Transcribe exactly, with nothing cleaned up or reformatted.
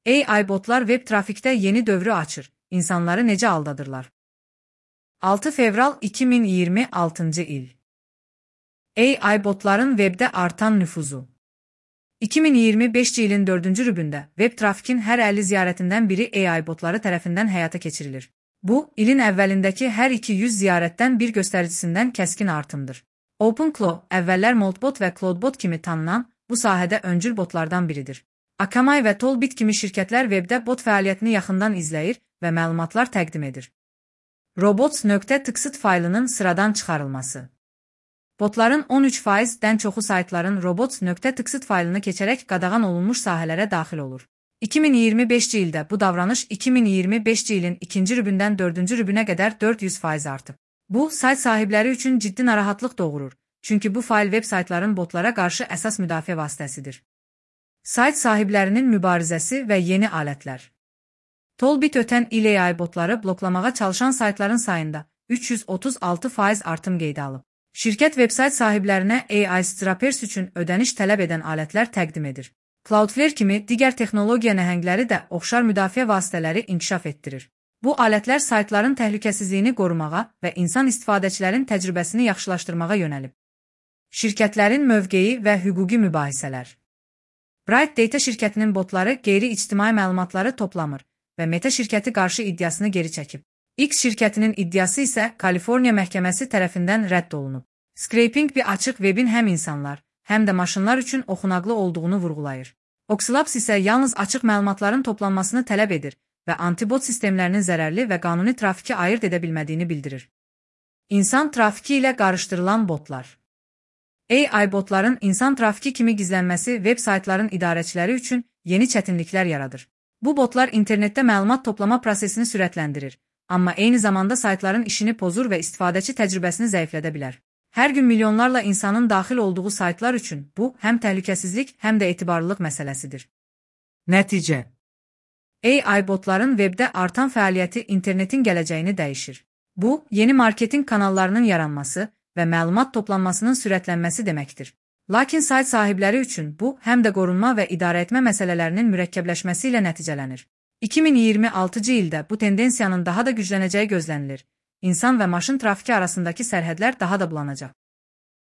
A I botlar web trafikte yeni dövrü açır. İnsanları necə aldadırlar? altı fevral iki min iyirmi altıncı il. A I botların webdə artan nüfuzu. iki min iyirmi beşinci ilin dördüncü rübündə web trafikin hər əlli ziyarətindən biri A I botları tərəfindən həyata keçirilir. Bu, ilin əvvəlindəki hər iki yüz ziyarətdən bir göstəricisindən kəskin artımdır. OpenClaw, əvvəllər Moltbot və Cloudbot kimi tanınan, bu sahədə öncül botlardan biridir. Akamai və Tollbit kimi şirkətlər webdə bot fəaliyyətini yaxından izləyir və məlumatlar təqdim edir. Robots.txt faylının sıradan çıxarılması. Botların on üç faizdən çoxu saytların robots.txt faylını keçərək qadağan olunmuş sahələrə daxil olur. iki min iyirmi beşinci ildə bu davranış iki min iyirmi beşinci ilin ikinci rübündən dördüncü rübünə qədər dörd yüz faiz artıb. Bu, sayt sahibləri üçün ciddi narahatlıq doğurur, çünki bu fayl web saytların botlara qarşı əsas müdafiə vasitəsidir. Sayt sahiblərinin mübarizəsi və yeni alətlər. Tollbit ötən il A I botları bloklamağa çalışan saytların sayında üç yüz otuz altı faiz artım qeydə alıb. Şirkət veb-sayt sahiblərinə A I Strappers üçün ödəniş tələb edən alətlər təqdim edir. Cloudflare kimi digər texnologiya nəhəngləri də oxşar müdafiə vasitələri inkişaf etdirir. Bu alətlər saytların təhlükəsizliyini qorumağa və insan istifadəçilərin təcrübəsini yaxşılaşdırmağa yönəlib. Şirkətlərin mövqeyi və hüquqi mübahisələr. Bright Data şirkətinin botları qeyri-ictimai məlumatları toplamır və Meta şirkəti qarşı iddiasını geri çəkib. X şirkətinin iddiası isə Kaliforniya məhkəməsi tərəfindən rədd olunub. Scraping bir açıq webin həm insanlar, həm də maşınlar üçün oxunaqlı olduğunu vurğulayır. Oxlabs isə yalnız açıq məlumatların toplanmasını tələb edir və antibot sistemlərinin zərərli və qanuni trafiki ayırt edə bilmədiyini bildirir. İnsan trafiki ilə qarışdırılan botlar. A I botların insan trafiki kimi gizlənməsi web saytların idarəçiləri üçün yeni çətinliklər yaradır. Bu botlar internetdə məlumat toplama prosesini sürətləndirir, amma eyni zamanda saytların işini pozur və istifadəçi təcrübəsini zəiflədə bilər. Hər gün milyonlarla insanın daxil olduğu saytlar üçün bu, həm təhlükəsizlik, həm də etibarlılıq məsələsidir. Nəticə. A I botların webdə artan fəaliyyəti internetin gələcəyini dəyişir. Bu, yeni marketinq kanallarının yaranması və məlumat toplanmasının sürətlənməsi deməkdir. Lakin sayt sahibləri üçün bu, həm də qorunma və idarəetmə məsələlərinin mürəkkəbləşməsi ilə nəticələnir. iki min iyirmi altıncı ildə bu tendensiyanın daha da güclənəcəyi gözlənilir. İnsan və maşın trafiki arasındakı sərhədlər daha da bulanacaq.